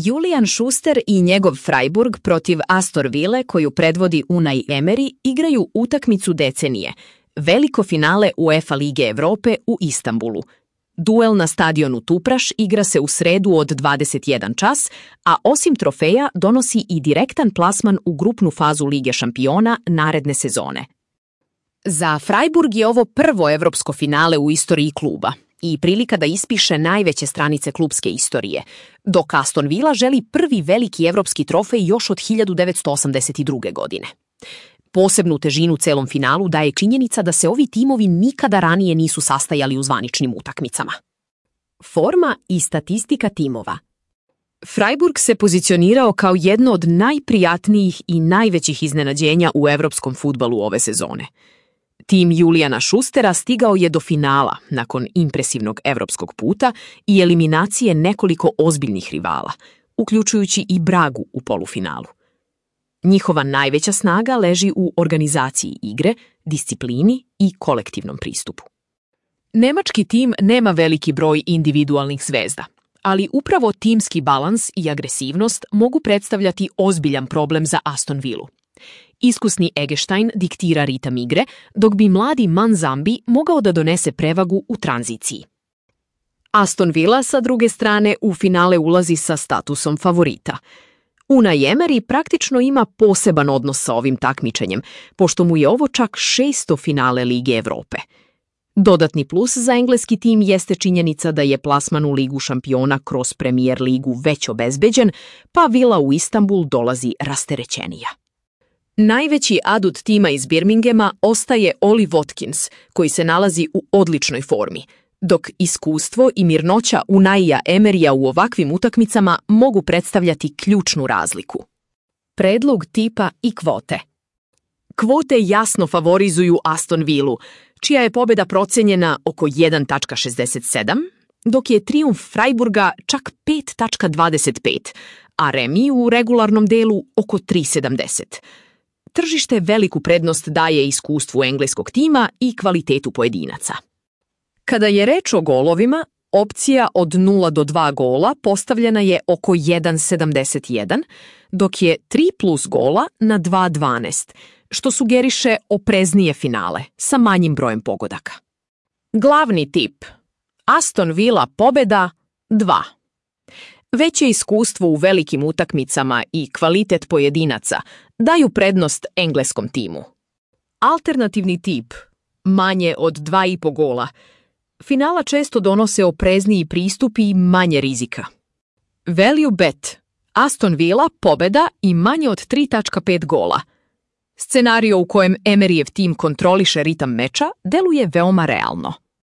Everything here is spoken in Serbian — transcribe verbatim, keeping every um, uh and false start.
Julian Schuster i njegov Freiburg protiv Aston Ville, koju predvodi Unai Emery, igraju utakmicu decenije, veliko finale UEFA Lige Evrope u Istanbulu. Duel na stadionu Tupraš igra se u sredu od dvadeset jedan čas, a osim trofeja donosi i direktan plasman u grupnu fazu Lige šampiona naredne sezone. Za Freiburg je ovo prvo evropsko finale u istoriji kluba i prilika da ispiše najveće stranice klubske istorije, dok Aston Villa želi prvi veliki evropski trofej još od hiljadu devetsto osamdeset druge. godine. Posebnu težinu celom finalu daje činjenica da se ovi timovi nikada ranije nisu sastajali u zvaničnim utakmicama. Forma i statistika timova. Freiburg se pozicionirao kao jedno od najprijatnijih i najvećih iznenađenja u evropskom fudbalu ove sezone. Tim Juliana Schustera stigao je do finala nakon impresivnog evropskog puta i eliminacije nekoliko ozbiljnih rivala, uključujući i Bragu u polufinalu. Njihova najveća snaga leži u organizaciji igre, disciplini i kolektivnom pristupu. Nemački tim nema veliki broj individualnih zvezda, ali upravo timski balans i agresivnost mogu predstavljati ozbiljan problem za Aston Villu. Iskusni Eggestein diktira ritam igre, dok bi mladi Manzambi mogao da donese prevagu u tranziciji. Aston Villa, sa druge strane, u finale ulazi sa statusom favorita. Unai Emery praktično ima poseban odnos sa ovim takmičenjem, pošto mu je ovo čak šesto finale Lige Evrope. Dodatni plus za engleski tim jeste činjenica da je plasman u Ligu šampiona kroz Premier ligu već obezbeđen, pa Villa u Istanbul dolazi rasterećenija. Najveći adut tima iz Birminghama ostaje Oli Watkins, koji se nalazi u odličnoj formi, dok iskustvo i mirnoća Unaija Emeryja u ovakvim utakmicama mogu predstavljati ključnu razliku. Predlog tipa i kvote. Kvote jasno favorizuju Aston Villu, čija je pobjeda procenjena oko jedan zarez šezdeset sedam, dok je trijumf Freiburga čak pet zarez dvadeset pet, a remi u regularnom delu oko tri zarez sedamdeset. Tržište veliku prednost daje iskustvu engleskog tima i kvalitetu pojedinaca. Kada je reč o golovima, opcija od nula do dva gola postavljena je oko jedan zarez sedamdeset jedan, dok je tri plus gola na dva zarez dvanaest, što sugeriše opreznije finale sa manjim brojem pogodaka. Glavni tip. Aston Villa pobjeda dva. Veće iskustvo u velikim utakmicama i kvalitet pojedinaca daju prednost engleskom timu. Alternativni tip. Manje od dva i po gola. Finala često donose oprezniji pristup i manje rizika. Value bet. Aston Villa pobjeda i manje od tri zarez pet gola. Scenario u kojem Emeryjev tim kontroliše ritam meča deluje veoma realno.